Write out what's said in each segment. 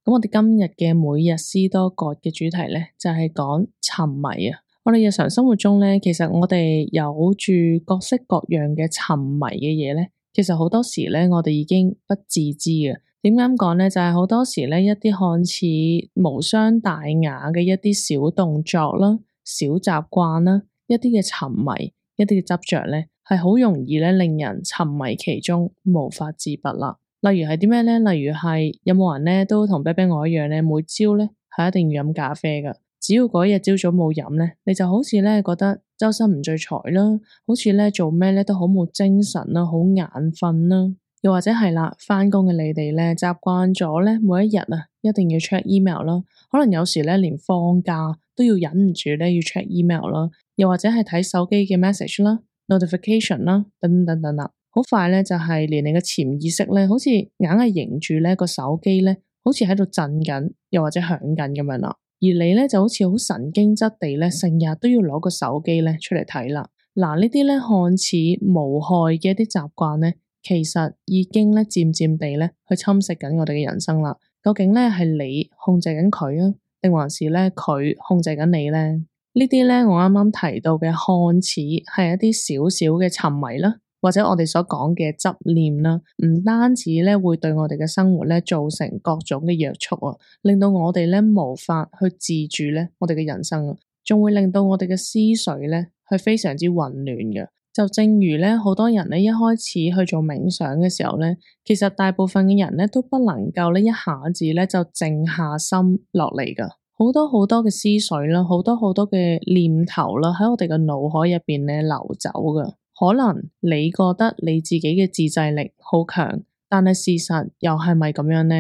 咁我哋今日嘅每日斯多葛嘅主題咧，就係講沉迷啊。我哋日常生活中咧，其實我哋有住各式各樣嘅沉迷嘅嘢咧，其實好多時咧，我哋已經不自知嘅。點解咁講咧？就係好多時咧，一啲看似無傷大雅嘅一啲小動作啦、小習慣啦、一啲嘅沉迷、一啲嘅執着咧，係好容易咧令人沉迷其中，無法自拔啦。例如係啲咩咧？例如係有冇人咧都同 BB 我一樣咧，每朝咧係一定要飲咖啡噶。只要嗰日朝早冇飲咧，你就好似咧覺得周身唔聚財啦，好似咧做咩咧都好冇精神啦，好眼瞓啦。又或者係啦，返工嘅你哋咧習慣咗咧，每一日啊一定要 check email 啦，可能有時咧連放假都要忍唔住咧要 check email 啦，又或者係睇手機嘅 message 啦、notification 啦等等等啦。好快咧，就係連你嘅潛意識咧，好似硬係迎住咧個手機咧，好似喺度震緊，又或者響緊咁樣啦。而你咧就好似好神經質地咧，成日都要攞個手機咧出嚟睇啦。嗱，呢啲咧看似無害嘅一啲習慣咧，其實已經咧漸漸地咧去侵蝕緊我哋嘅人生啦。究竟咧係你控制緊佢啊，定還是咧佢控制緊你咧？呢啲咧我啱啱提到嘅看似係一啲小小嘅沉迷啦，或者我哋所講嘅執念啦，唔單止咧會對我哋嘅生活咧造成各種嘅約束啊，令到我哋咧無法去自主咧我哋嘅人生啊，仲會令到我哋嘅思緒咧係非常之混亂嘅。就正如咧好多人咧一開始去做冥想嘅時候咧，其實大部分嘅人咧都不能夠咧一下子咧就靜下心落嚟噶，好多好多嘅思緒啦，好多好多嘅念頭啦喺我哋嘅腦海入邊咧流走噶。可能你覺得你自己嘅自制力好強，但係事實又係咪咁樣呢？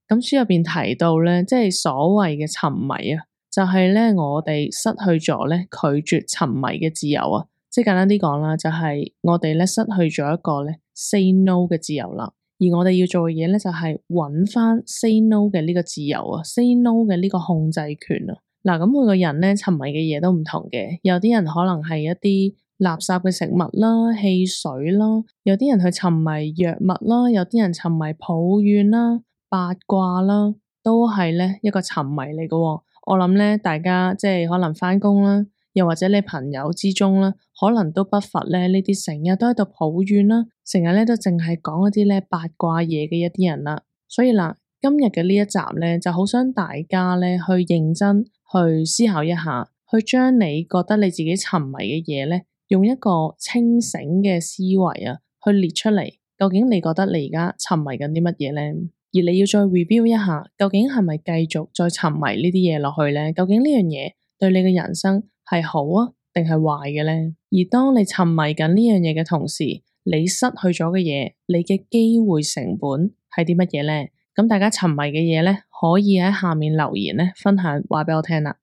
咁書入邊提到咧，即係所謂嘅沉迷啊，就係咧我哋失去咗咧拒絕沉迷嘅自由啊。即係簡單啲講啦，就係我哋咧失去咗一個咧 say no 嘅自由啦。而我哋要做嘅嘢咧就係揾翻 say no 嘅呢個自由啊，say no 嘅呢個控制權啊。嗱，咁每個人咧沉迷嘅嘢都唔同嘅，有啲人可能係一啲垃圾嘅食物啦、汽水啦，有啲人去沉迷藥物啦，有啲人沉迷抱怨啦、八卦啦，都係咧一個沉迷嚟嘅。我諗咧，大家即係可能返工啦，又或者你朋友之中啦，可能都不乏咧呢啲成日都喺度抱怨啦，成日咧都淨係講一啲咧八卦嘢嘅一啲人啦。所以嗱，今日嘅呢一集咧，就好想大家咧去認真去思考一下，去將你覺得你自己沉迷嘅嘢咧，用一個清醒嘅思維啊，去列出嚟。究竟你覺得你而家沉迷緊啲乜嘢咧？而你要再 review 一下，究竟係咪繼續再沉迷呢啲嘢落去咧？究竟呢樣嘢對你嘅人生係好啊，定係壞嘅咧？而當你沉迷緊呢樣嘢嘅同時，你失去咗嘅嘢，你嘅機會成本係啲乜嘢咧？咁大家沉迷嘅嘢咧，可以喺下面留言咧分享，話俾我聽啦。